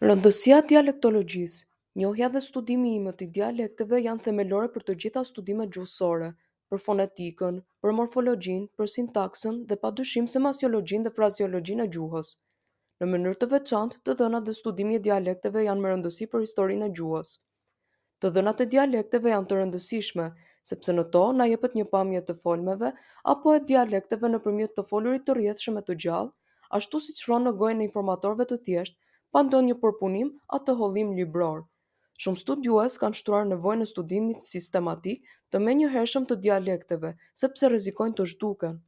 Rëndësia e dialektologjisë Njohja dhe studimi i imët i dialekteve janë themelore për të gjitha studimet gjuhësore, për fonetikën, për morfologjinë, për sintaksën dhe padyshim semasiologjinë dhe frazeologjinë e gjuhës. Në mënyrë të veçantë, të dhënat dhe studimi i dialekteve janë me rëndësi për historinë e gjuhës. Të dhënat e dialekteve janë të rëndësishme, sepse në to na jepet një pamje e të folmeve apo e dialekteve nëpërmjet të folurit të rrjedhshëm e të gjallë, ashtu siç rronë në gojën e informatorëve të thjeshtë, pa ndonjë përpunim a tëhollim libror. Shumë studiues kanë shtruar nevojën e studimit sistematik të menjëhershëm të dialekteve, sepse rrezikojnë të zhduken.